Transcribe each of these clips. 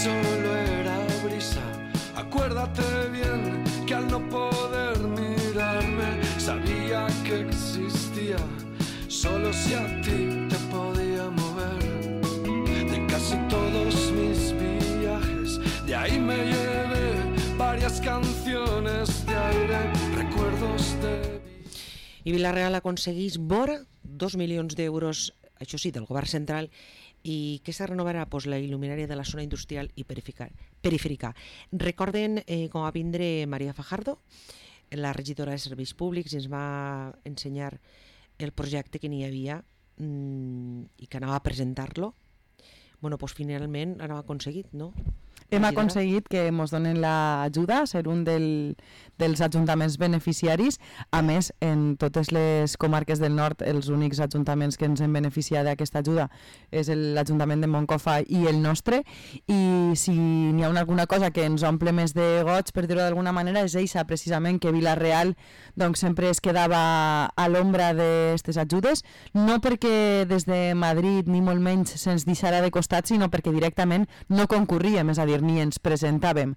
solo era brisa. Acuérdate bien que al no poder mirarme sabía que existía, solo si a ti te podía mover. De casi todos mis viajes, de ahí me llevé varias canciones de aire, recuerdos de... I Vila-real aconsegueix vora 2 milions d'euros, això sí, del govern central, i que se renovarà la il·luminària de la zona industrial i perifèrica. Recorden com va vindre Maria Fajardo, la regidora de Serveis Públics, i ens va ensenyar el projecte que n'hi havia i que anava a presentar-lo. Bueno, doncs finalment l'hem aconseguit, no? Hem aconseguit que ens donen l'ajuda, ser un dels ajuntaments beneficiaris. A més, en totes les comarques del nord, els únics ajuntaments que ens hem beneficiat d'aquesta ajuda és l'Ajuntament de Moncofa i el nostre. I si n'hi ha alguna cosa que ens omple més de goig, per dir-ho d'alguna manera, és eixa, precisament, que Vila-real doncs, sempre es quedava a l'ombra d'aquestes ajudes, no perquè des de Madrid ni molt menys se'ns deixarà de costat, sinó perquè directament no concorríem, és a dir, ni ens presentàvem.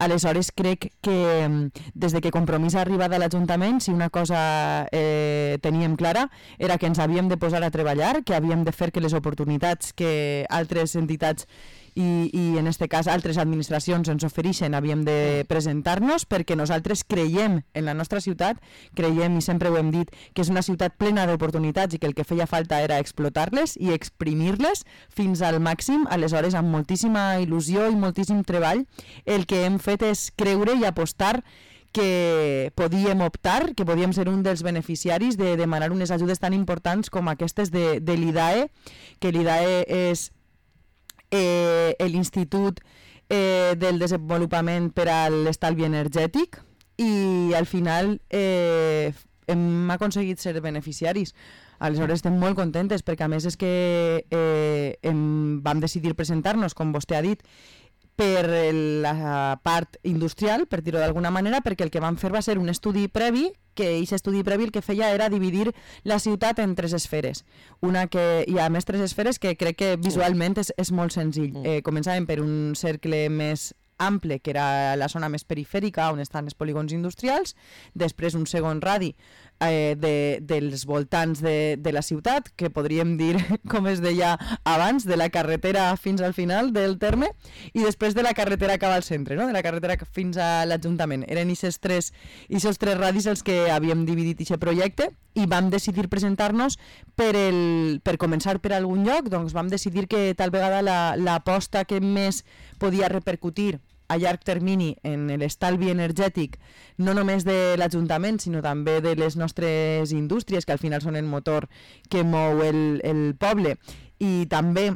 Aleshores crec que des de que Compromís ha arribat a l'Ajuntament, si una cosa teníem clara era que ens havíem de posar a treballar, que havíem de fer que les oportunitats que altres entitats i en aquest cas altres administracions ens ofereixen havíem de presentar-nos, perquè nosaltres creiem en la nostra ciutat, creiem, i sempre ho hem dit, que és una ciutat plena d'oportunitats i que el que feia falta era explotar-les i exprimir-les fins al màxim. Aleshores, amb moltíssima il·lusió i moltíssim treball, el que hem fet és creure i apostar que podíem optar, que podíem ser un dels beneficiaris de demanar unes ajudes tan importants com aquestes de l'IDAE, que l'IDAE és l'Institut del Desenvolupament per a l'Estalvi Energètic, i al final hem aconseguit ser beneficiaris. Aleshores estem molt contentes, perquè a més és que vam decidir presentar-nos, com vostè ha dit, per la part industrial, per dir-ho d'alguna manera, perquè el que vam fer va ser un estudi previ, que aquest estudi previ el que feia era dividir la ciutat en 3 esferes. Una que hi ha més 3 esferes que crec que visualment és molt senzill. Començàvem per un cercle més ample, que era la zona més perifèrica, on estan els polígons industrials, després un segon radi dels voltants de la ciutat, que podríem dir, com es deia abans, de la carretera fins al final del terme, i després de la carretera cap al centre, no? De la carretera fins a l'Ajuntament. Eren aquests tres radis els que havíem dividit aquest projecte, i vam decidir presentar-nos per començar per algun lloc. Doncs vam decidir que tal vegada l'aposta que més podia repercutir a llarg termini en l'estalvi energètic, no només de l'Ajuntament, sinó també de les nostres indústries, que al final són el motor que mou el poble, i també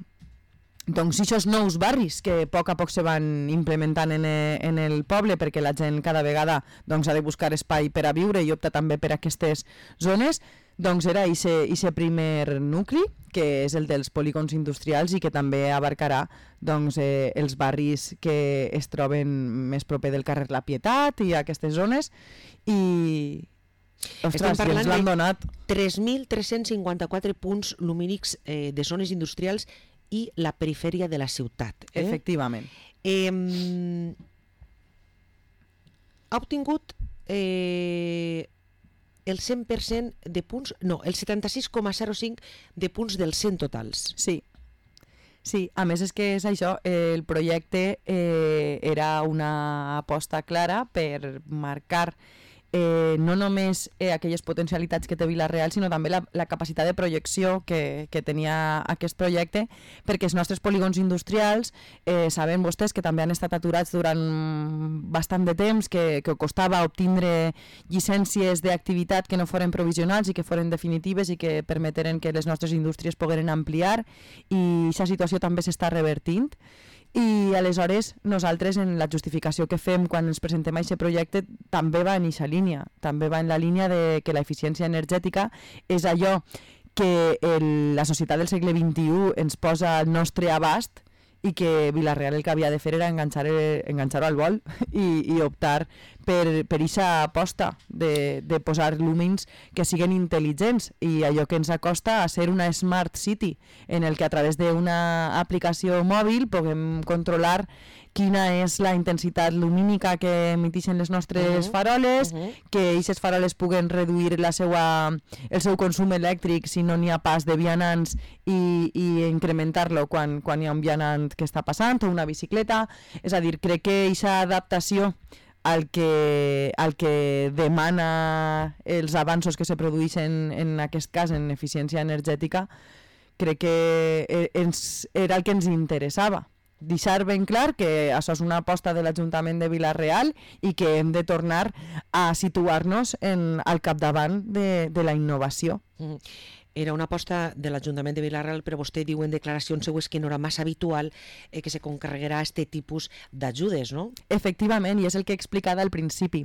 doncs aquests nous barris que a poc se van implementant en el poble, perquè la gent cada vegada doncs, ha de buscar espai per a viure i opta també per aquestes zones. Doncs era aquest primer nucli, que és el dels polígons industrials, i que també abarcarà doncs, els barris que es troben més proper del carrer La Pietat i aquestes zones. I estem parlant de 3.354 punts lumínics de zones industrials i la perifèria de la ciutat. Efectivament. Ha obtingut el 100% de punts, no, el 76,05 de punts dels 100 totals. Sí, a més és que és això, el projecte era una aposta clara per marcar no només aquelles potencialitats que té Vila-real, sinó també la capacitat de projecció que tenia aquest projecte, perquè els nostres polígons industrials saben vostès que també han estat aturats durant bastant de temps, que costava obtindre llicències d'activitat que no foren provisionals i que foren definitives i que permeteren que les nostres indústries pogueren ampliar, i aquesta situació també s'està revertint. I aleshores nosaltres en la justificació que fem quan ens presentem a aquest projecte també va en aquesta línia, també va en la línia de que l'eficiència energètica és allò que la societat del segle XXI ens posa al nostre abast, i que Vila-real el que havia de fer era enganxar-ho al vol i optar per eixa aposta de posar llumins que siguen intel·ligents i allò que ens acosta a ser una smart city en el que a través d'una aplicació mòbil puguem controlar quina és la intensitat lumínica que emiteixen les nostres faroles, que aquestes faroles puguen reduir el seu consum elèctric si no n'hi ha pas de vianants i incrementar-lo quan hi ha un vianant que està passant o una bicicleta. És a dir, crec que aquesta adaptació al que demana els avanços que se produeixen en aquest cas en eficiència energètica, crec que era el que ens interessava. Deixar ben clar que això és una aposta de l'Ajuntament de Vila-real i que hem de tornar a situar-nos al capdavant de la innovació. Era una aposta de l'Ajuntament de Vila-real, però vostè diu en declaracions seues que no era massa habitual que se concarregarà aquest tipus d'ajudes, no? Efectivament, i és el que he explicat al principi,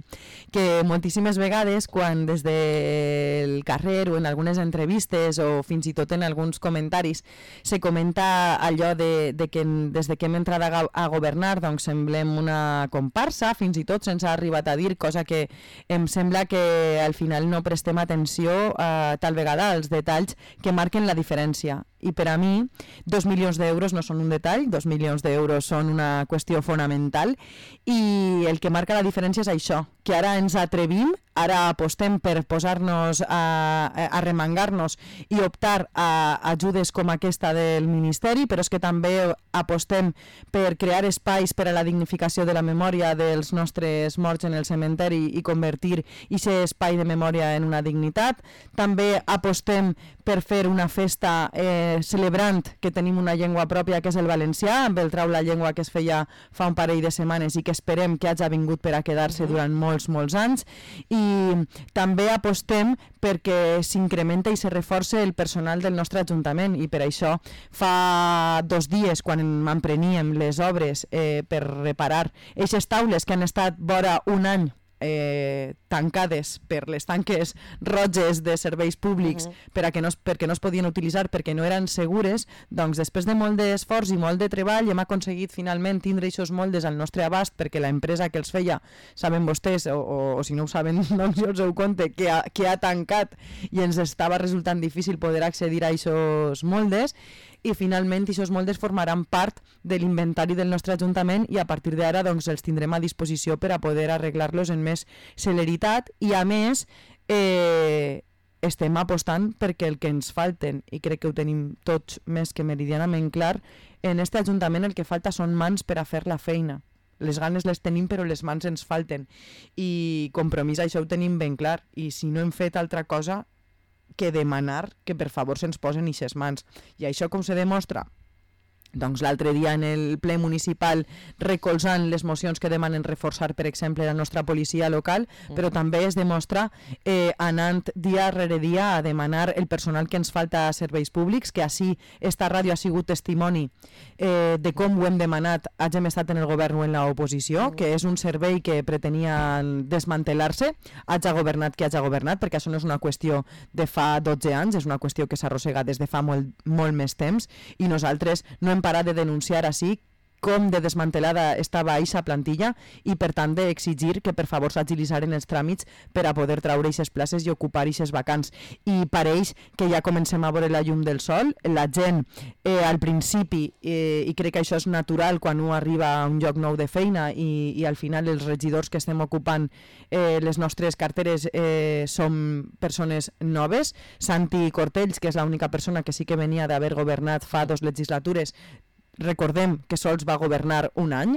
que moltíssimes vegades quan des del carrer o en algunes entrevistes o fins i tot en alguns comentaris se comenta allò de que des que hem entrat a governar doncs semblem una comparsa, fins i tot se'ns ha arribat a dir, cosa que em sembla que al final no prestem atenció tal vegada als detalls que marquen la diferència. I per a mi, 2 milions d'euros no són un detall, 2 milions d'euros són una qüestió fonamental i el que marca la diferència és això, que ara ens atrevim, ara apostem per posar-nos a remangar-nos i optar a ajudes com aquesta del Ministeri, però és que també apostem per crear espais per a la dignificació de la memòria dels nostres morts en el cementeri i convertir aquest espai de memòria en una dignitat. També apostem per fer una festa celebrant que tenim una llengua pròpia que és el valencià, amb el Trau la Llengua que es feia fa un parell de setmanes i que esperem que hagi vingut per a quedar-se durant molts anys, i també apostem perquè s'incrementa i se reforça el personal del nostre Ajuntament, i per això fa 2 dies quan m'empreníem les obres per reparar aquestes taules que han estat vora un any tancades per les tanques roges de serveis públics perquè no es podien utilitzar perquè no eren segures, doncs després de molt d'esforç i molt de treball hem aconseguit finalment tindre aquests moldes al nostre abast perquè l'empresa que els feia, saben vostès o si no ho saben, doncs jo us ho conte que ha tancat i ens estava resultant difícil poder accedir a aquests moldes, i finalment aquests moldes formaran part de l'inventari del nostre Ajuntament i a partir d'ara doncs, els tindrem a disposició per a poder arreglar-los en més celeritat i a més estem apostant perquè el que ens falten, i crec que ho tenim tots més que meridianament clar, en aquest Ajuntament el que falta són mans per a fer la feina. Les ganes les tenim però les mans ens falten i compromís això ho tenim ben clar i si no hem fet altra cosa que demanar que per favor se'ns posen ixes mans. I això com se demostra? Doncs l'altre dia en el ple municipal recolzant les mocions que demanen reforçar, per exemple, la nostra policia local, però també es demostra anant dia rere dia a demanar el personal que ens falta a serveis públics, que així esta ràdio ha sigut testimoni de com ho hem demanat, hagin estat en el govern o en l'oposició, que és un servei que pretenia desmantelar-se, haja governat qui haja governat, perquè això no és una qüestió de fa 12 anys, és una qüestió que s'arrossega des de fa molt més temps, i nosaltres no hem parat de denunciar així com de desmantelada estava aquesta plantilla i per tant d'exigir que per favor s'agilitzaren els tràmits per a poder traure aquestes places i ocupar aquestes vacants. I pareix que ja comencem a veure la llum del sol, la gent al principi, i crec que això és natural quan un arriba a un lloc nou de feina i al final els regidors que estem ocupant les nostres carteres som persones noves. Santi Cortells, que és l'única persona que sí que venia d'haver governat fa 2 legislatures, recordem que sols va governar un any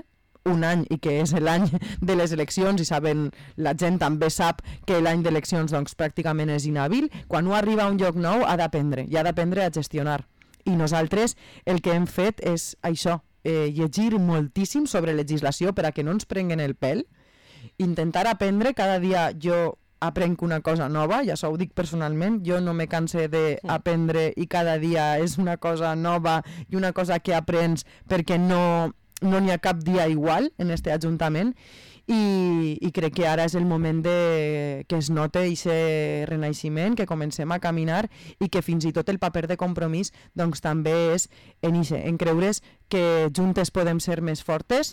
i que és l'any de les eleccions i saben, la gent també sap que l'any d'eleccions doncs, pràcticament és inhàbil. Quan un arriba a un lloc nou ha d'aprendre i ha d'aprendre a gestionar, i nosaltres el que hem fet és això, llegir moltíssim sobre legislació per a que no ens prenguen el pèl, intentar aprendre cada dia. Jo aprenc una cosa nova, ja ho dic personalment, jo no me canse d'aprendre i cada dia és una cosa nova i una cosa que aprens perquè no n'hi ha cap dia igual en este Ajuntament i crec que ara és el moment que es note aquest renaixement, que comencem a caminar i que fins i tot el paper de compromís doncs també és en creure's que juntes podem ser més fortes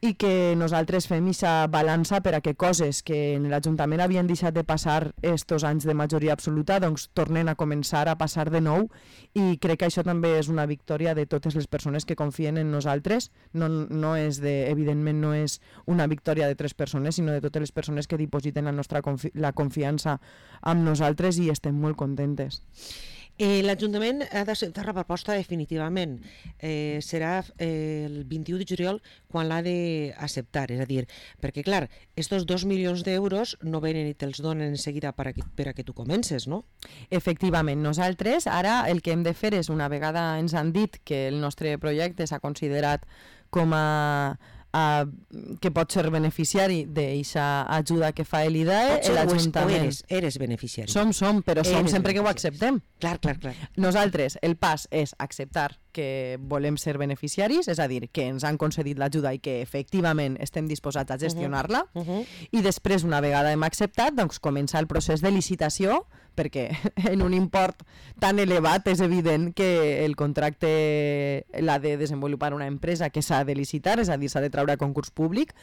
i que nosaltres fem aquesta balança per a que coses que en l'Ajuntament havien deixat de passar estos anys de majoria absoluta doncs tornen a començar a passar de nou, i crec que això també és una victòria de totes les persones que confien en nosaltres. No és evidentment no és una victòria de 3 persones, sinó de totes les persones que dipositen la confiança amb nosaltres, i estem molt contentes. L'Ajuntament ha d'acceptar la proposta definitivament. Serà el 21 de juliol quan l'ha d'acceptar, és a dir, perquè clar, estos 2 milions d'euros no venen i te'ls donen en seguida per a que tu comences, no? Efectivament, nosaltres ara el que hem de fer és, una vegada ens han dit que el nostre projecte s'ha considerat com que pot ser beneficiari d'aquesta ajuda que fa l'IDAE, l'Ajuntament. Eres beneficiari. Som, però som sempre que ho acceptem. Clar. Nosaltres, el pas és acceptar que volem ser beneficiaris, és a dir, que ens han concedit l'ajuda i que efectivament estem disposats a gestionar-la, i després, una vegada hem acceptat, doncs comença el procés de licitació, perquè en un import tan elevat és evident que el contracte l'ha de desenvolupar una empresa que s'ha de licitar, és a dir, s'ha de treure a concurs públic,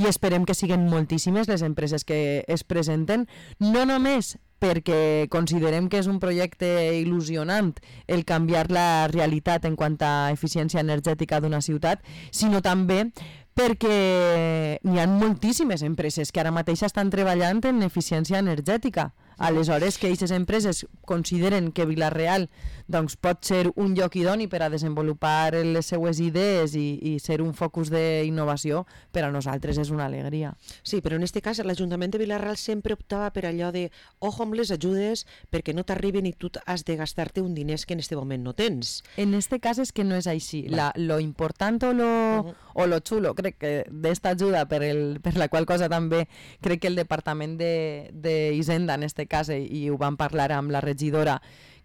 i esperem que siguin moltíssimes les empreses que es presenten, no només perquè considerem que és un projecte il·lusionant el canviar la realitat en quant a eficiència energètica d'una ciutat, sinó també perquè n'hi ha moltíssimes empreses que ara mateix estan treballant en eficiència energètica. Aleshores, que aquestes empreses consideren que Vila-real doncs, pot ser un lloc idoni per a desenvolupar les seues idees i ser un focus d'innovació, per a nosaltres és una alegria. Sí, però en aquest cas l'Ajuntament de Vila-real sempre optava per allò de ojo amb les ajudes perquè no t'arriben i tu has de gastar-te un diners que en aquest moment no tens. En aquest cas és que no és així. Lo important o lo xulo, crec que d'esta ajuda, per la qual cosa també crec que el Departament d'Hisenda en aquest cas, i ho vam parlar amb la regidora,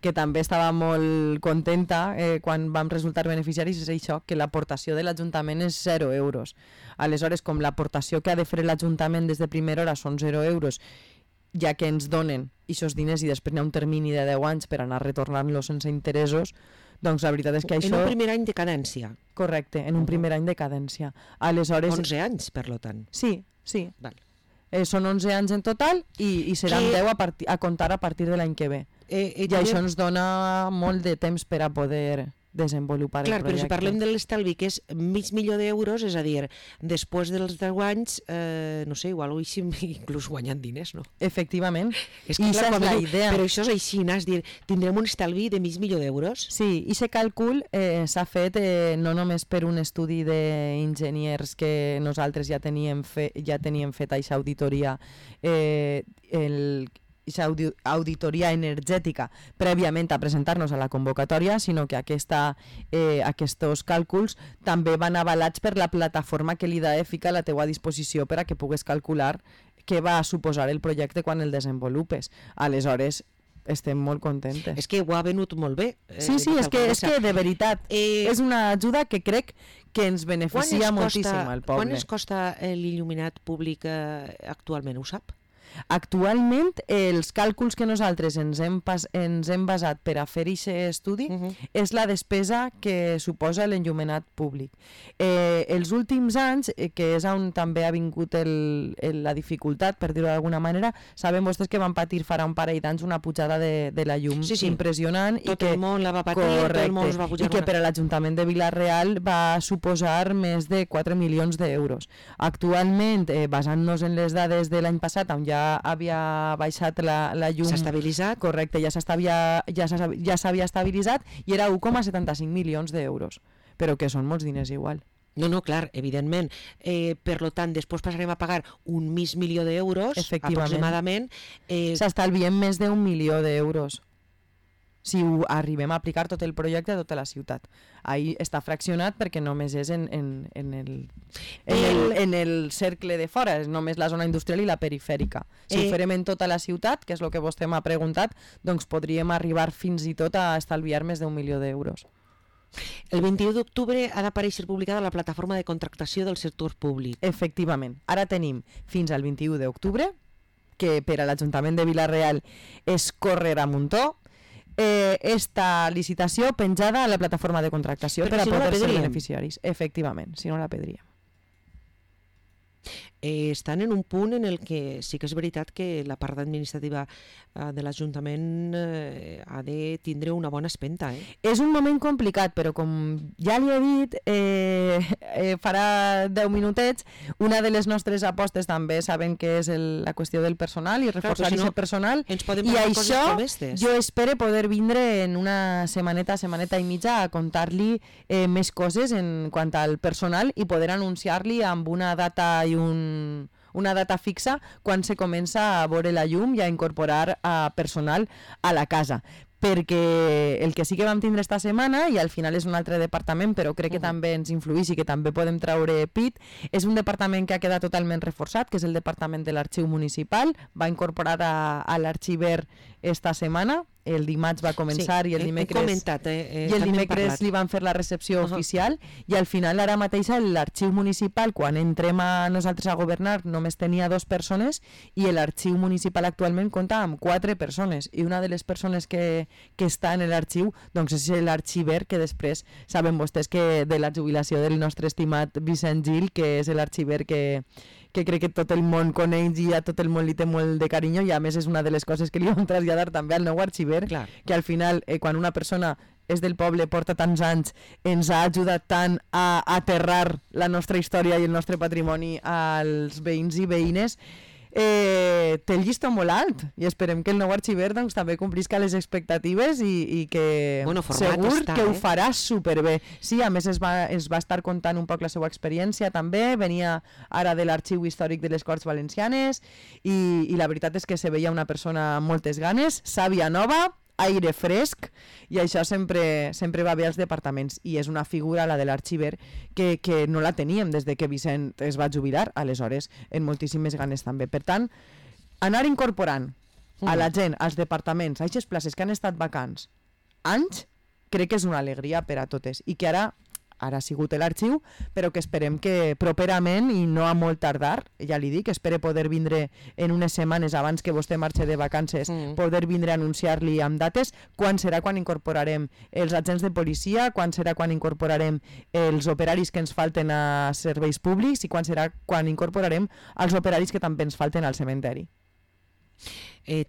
que també estava molt contenta quan vam resultar beneficiaris, és això, que l'aportació de l'Ajuntament és 0 euros. Aleshores, com l'aportació que ha de fer l'Ajuntament des de primera hora són 0 euros, ja que ens donen aquests diners i després hi ha un termini de 10 anys per anar retornant-los sense interessos, doncs la veritat és que això... En un primer any de cadència. Correcte, en un primer any de cadència. Aleshores... 11 anys, per lo tant. Sí. Val. Són 11 anys en total i seran 10 a comptar a partir de l'any que ve. I això ens dona molt de temps per a poder desenvolupar el projecte. Clar, però si parlem de l'estalvi, que és $500.000 d'euros, és a dir, després dels 10 anys, no sé, igual ho així inclús guanyant diners, no? Efectivament. És que clar, la idea. Però això és així, és dir, tindrem un estalvi de $500.000 d'euros? Sí, i aquest càlcul s'ha fet no només per un estudi d'enginyers que nosaltres ja teníem fet aquesta auditoria, auditoria energètica prèviament a presentar-nos a la convocatòria, sinó que aquests càlculs també van avalats per la plataforma que l'IDAE fica a la teua disposició per a que pugues calcular què va suposar el projecte quan el desenvolupes. Aleshores, estem molt contentes. És que ho ha venut molt bé. Sí, és que de veritat és una ajuda que crec que ens beneficia moltíssim al poble. Quan ens costa l'il·luminat públic actualment, ho sap? Actualment, els càlculs que nosaltres ens hem basat per a fer aquest estudi és la despesa que suposa l'enllumenat públic. Els últims anys, que és on també ha vingut la dificultat, per dir-ho d'alguna manera, sabem vostès que van patir farà un parell d'anys una pujada de la llum impressionant. Tot el món la va patir, tot el món es va pujar. I que per a l'Ajuntament de Vila-real va suposar més de 4 milions d'euros. Actualment, basant-nos en les dades de l'any passat, on ja havia baixat la llum... S'ha estabilitzat? Correcte, ja s'havia estabilitzat i era 1,75 milions d'euros, però que són molts diners igual. No, clar, evidentment. Per tant, després passarem a pagar $1 milió d'euros, aproximadament. S'estalviem més d'1 milió d'euros si ho arribem a aplicar tot el projecte a tota la ciutat. Ahí està fraccionat perquè només és en el cercle de fora, és només la zona industrial i la perifèrica. Si ho farem en tota la ciutat, que és el que vostè m'ha preguntat, doncs podríem arribar fins i tot a estalviar més d'1 milió d'euros. El 21 d'octubre ha d'aparèixer publicada la plataforma de contractació del sector públic. Efectivament. Ara tenim fins al 21 d'octubre, que per a l'Ajuntament de Vila-real és córrer a muntó, esta licitació penjada a la plataforma de contractació per a poder ser beneficiaris. Efectivament, si no la perdríem. Estan en un punt en el que sí que és veritat que la part administrativa de l'Ajuntament ha de tindre una bona espenta. És un moment complicat, però com ja li he dit, farà 10 minutets, una de les nostres apostes també saben que és la qüestió del personal i reforçar aquest personal, i això jo espero poder vindre en una setmaneta i mitja a contar-li més coses en quant al personal i poder anunciar-li amb una data i una data fixa quan se comença a veure la llum i a incorporar personal a la casa. Perquè el que sí que vam tindre esta setmana, i al final és un altre departament, però crec que també ens influeix i que també podem treure pit, és un departament que ha quedat totalment reforçat, que és el departament de l'Arxiu Municipal. Va incorporar a l'Arxiver esta setmana, el dimarts va començar, i el dimecres li van fer la recepció oficial, i al final ara mateix l'Arxiu Municipal, quan entrem a nosaltres a governar, només tenia 2 persones, i l'Arxiu Municipal actualment compta amb 4 persones, i una de les persones que està en l'arxiu doncs és l'arxiver, que després saben vostès que de la jubilació del nostre estimat Vicent Gil, que és l'arxiver que crec que tot el món coneix i a tot el món li té molt de carinyo, i a més és una de les coses que li vam traslladar també al nou arxiver, que al final quan una persona és del poble, porta tants anys, ens ha ajudat tant a aterrar la nostra història i el nostre patrimoni als veïns i veïnes, té el llistó molt alt, i esperem que el nou arxiver doncs, també complisca les expectatives i que segur que ho farà superbé. Sí, a més es va estar contant un poc la seva experiència també, venia ara de l'Arxiu Històric de les Corts Valencianes, i la veritat és que se veia una persona amb moltes ganes, sàvia nova, aire fresc, i això sempre va bé als departaments, i és una figura, la de l'arxiver, que no la teníem des de que Vicent es va jubilar, aleshores en moltíssimes ganes també. Per tant, anar incorporant a la gent, als departaments, a aquestes places que han estat vacants anys, crec que és una alegria per a totes, i que ara ha sigut l'arxiu, però que esperem que properament, i no a molt tardar, ja li dic, espere poder vindre en unes setmanes abans que vostè marxe de vacances, poder vindre a anunciar-li amb dates quan serà quan incorporarem els agents de policia, quan serà quan incorporarem els operaris que ens falten a serveis públics, i quan serà quan incorporarem els operaris que també ens falten al cementeri.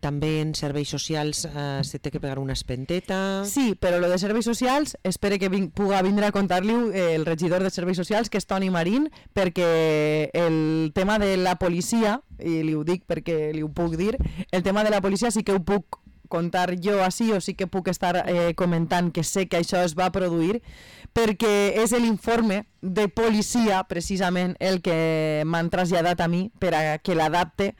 També en serveis socials se té que pegar una espenteta. Sí, però lo de serveis socials espero que puga vindre a contar-li el regidor de serveis socials, que és Toni Marín, perquè el tema de la policia, i li ho dic perquè li ho puc dir, el tema de la policia sí que ho puc contar jo així, o sí que puc estar comentant que sé que això es va produir, perquè és l'informe de policia precisament el que m'han traslladat a mi per a que l'adapte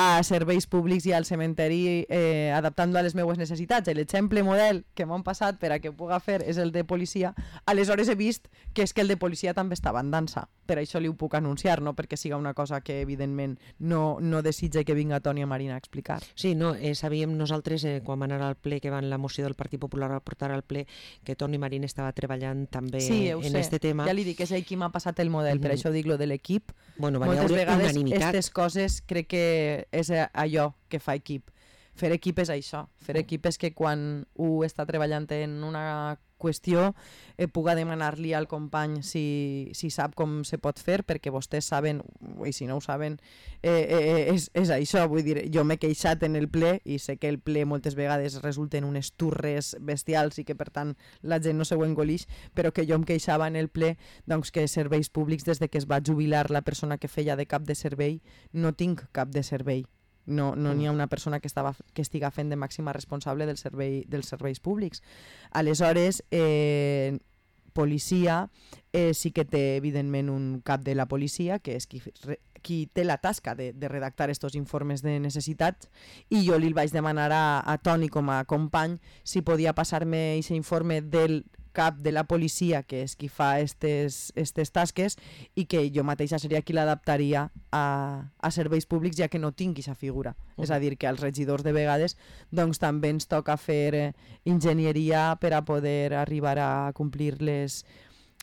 a serveis públics i al cementeri, adaptant-lo a les meves necessitats. L'exemple model que m'han passat per a que ho puga fer és el de policia. Aleshores he vist que és que el de policia també estava en dansa. Per això li ho puc anunciar, no perquè siga una cosa que evidentment no desitja que vinga Toni Marín a explicar. Sí, no, sabíem nosaltres quan vam anar al ple, que van la moció del Partit Popular a portar al ple, que Toni Marín estava treballant també en aquest tema. Ja li dic, és ell qui m'ha passat el model, per això dic lo de l'equip. Bueno, moltes vegades aquestes coses crec que és allò que fa equip. Fer equip és això. Fer equip és que quan un està treballant en una qüestió puga demanar-li al company si sap com se pot fer, perquè vostès saben, i si no ho saben, és això. Vull dir, jo m'he queixat en el ple, i sé que el ple moltes vegades resulten unes turres bestials i que per tant la gent no se ho engolix, però que jo em queixava en el ple doncs, que serveis públics, des de que es va jubilar la persona que feia de cap de servei, no tinc cap de servei. No n'hi ha una persona que estiga fent de màxima responsable dels serveis públics. Aleshores, policia sí que té evidentment un cap de la policia, que és qui té la tasca de redactar aquests informes de necessitats, i jo li vaig demanar a Toni com a company si podia passar-me aquest informe del cap de la policia, que és qui fa aquestes tasques, i que jo mateixa seria qui l'adaptaria a serveis públics, ja que no tinc aquesta figura. És a dir, que als regidors de vegades doncs, també ens toca fer enginyeria per a poder arribar a complir les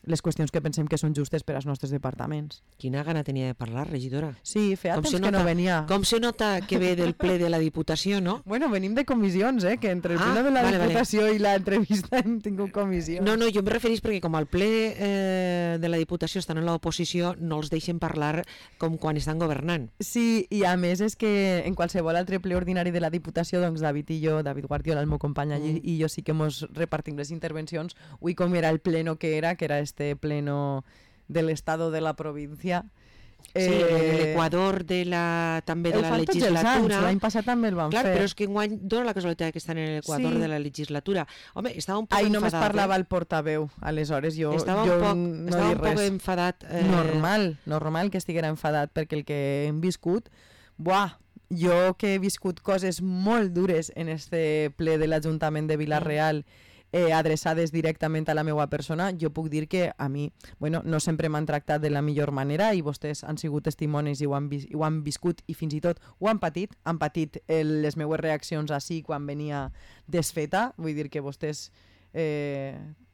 les qüestions que pensem que són justes per als nostres departaments. Quina gana tenia de parlar, regidora. Sí, feia temps que no venia. Com se nota que ve del ple de la Diputació, no? Bueno, venim de comissions, que entre el ple de la Diputació i l'entrevista hem tingut comissions. No, jo em referís perquè com al ple de la Diputació estan en l'oposició, no els deixen parlar com quan estan governant. Sí, i a més és que en qualsevol altre ple ordinari de la Diputació, doncs David i jo, David Guardiola, el meu company allí, i jo sí que mos repartim les intervencions. Avui com era el pleno que era este pleno del estado de la província. Sí, l'Equador també de la legislatura. L'any passat també el van fer. Clar, però és que enguany dona la casualitat que estan en l'Equador de la legislatura. Home, estava un poc enfadat. Només parlava el portaveu, aleshores jo estava un poc enfadat. Normal que estiguera enfadat, perquè el que hem viscut, jo que he viscut coses molt dures en este ple de l'Ajuntament de Vila-real, adreçades directament a la meva persona, jo puc dir que a mi, no sempre m'han tractat de la millor manera i vostès han sigut testimonis i ho han viscut i fins i tot ho han patit les meues reaccions així quan venia desfeta, vull dir que vostès,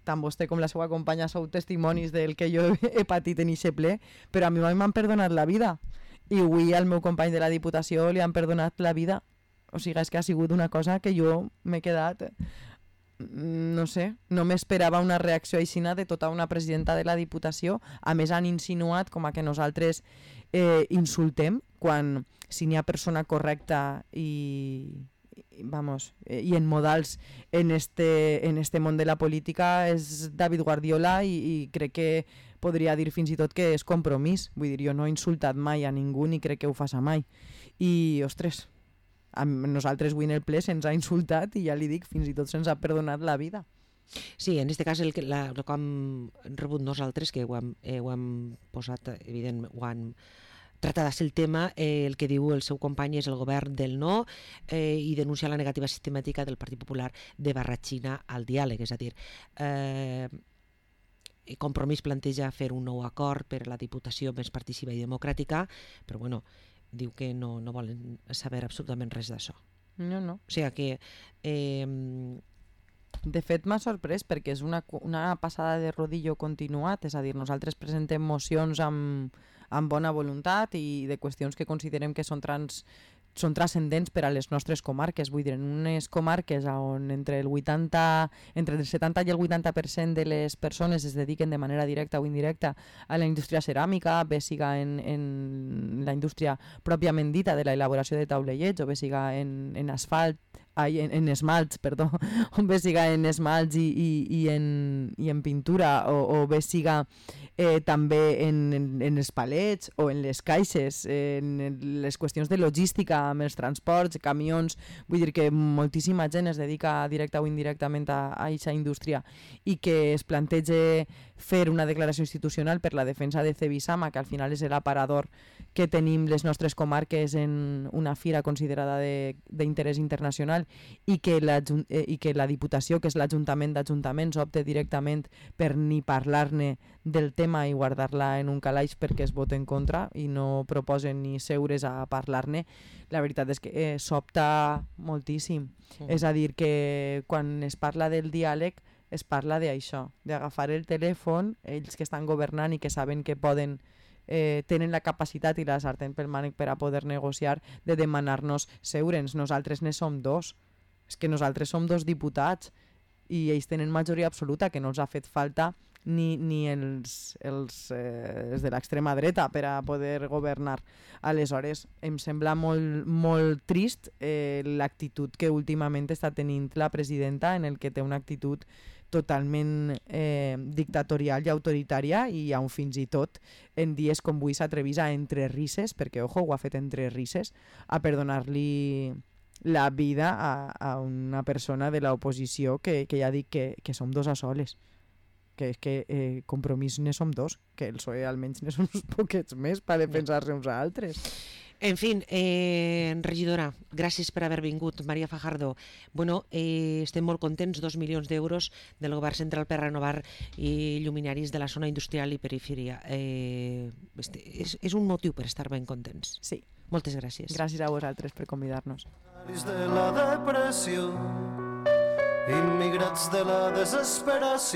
tant vostè com la seva companya sou testimonis del que jo he patit en eixe ple, però a mi m'han perdonat la vida i avui al meu company de la Diputació li han perdonat la vida, o sigui, és que ha sigut una cosa que jo m'he quedat... no sé, no m'esperava una reacció aixina de tota una presidenta de la Diputació. A més han insinuat com a que nosaltres insultem quan si n'hi ha persona correcta i en modals en este món de la política és David Guardiola i crec que podria dir fins i tot que és Compromís. Vull dir, jo no he insultat mai a ningú ni crec que ho faça mai. I, ostres, a nosaltres avui en el ple se'ns ha insultat i ja li dic, fins i tot se'ns ha perdonat la vida. Sí, en aquest cas el que hem rebut nosaltres, que ho hem posat, evident, ho han tractat de ser el tema, el que diu el seu company és el govern del no i denunciar la negativa sistemàtica del Partit Popular de barratxina al diàleg, és a dir, Compromís planteja fer un nou acord per a la Diputació més participativa i democràtica, però bueno, diu que no volen saber absolutament res d'això. No. O sigui que... De fet, m'ha sorprès perquè és una passada de rodillo continuat, és a dir, nosaltres presentem mocions amb bona voluntat i de qüestions que considerem que són transcendents per a les nostres comarques. Vull dir, en unes comarques on entre el 70 i el 80% de les persones es dediquen de manera directa o indirecta a la indústria ceràmica, bé siga en la indústria pròpiament dita de la elaboració de taulellets o bé siga en esmalts, o bé siga en esmalts i en pintura o bé siga també en els palets o en les caixes, en les qüestions de logística amb els transports, camions. Vull dir que moltíssima gent es dedica directa o indirectament a aquesta indústria i que es plantege fer una declaració institucional per la defensa de Cebisama, que al final és l'aparador que tenim les nostres comarques en una fira considerada d'interès internacional i que la Diputació, que és l'Ajuntament d'Ajuntaments, opte directament per ni parlar-ne del tema i guardar-la en un calaix perquè es vota en contra i no proposen ni seure's a parlar-ne. La veritat és que s'opta moltíssim. Sí. És a dir, que quan es parla del diàleg es parla d'això, d'agafar el telèfon, ells que estan governant i que saben que poden, tenen la capacitat i la sartén pel mànec per a poder negociar, de demanar-nos seure'ns. Nosaltres ne som dos. És que nosaltres som 2 diputats i ells tenen majoria absoluta, que no els ha fet falta ni els de l'extrema dreta per a poder governar. Aleshores, em sembla molt, molt trist l'actitud que últimament està tenint la presidenta, en el que té una actitud totalment dictatorial i autoritària, i aún fins i tot en dies com avui s'atrevís a entre risses, perquè ojo, ho ha fet entre risses, a perdonar-li la vida a una persona de l'oposició que ja dic que som 2 a soles, que és que Compromís ne som 2, que el PSOE almenys ne són uns poquets més per defensar-se uns a altres. En fi, regidora, gràcies per haver vingut, Maria Fajardo. Bueno, estem molt contents, 2 milions d'euros del govern central per renovar lluminaris de la zona industrial i perifèria. És un motiu per estar ben contents. Sí. Moltes gràcies. Gràcies a vosaltres per convidar-nos. De la depressió, immigrats de la desesperació.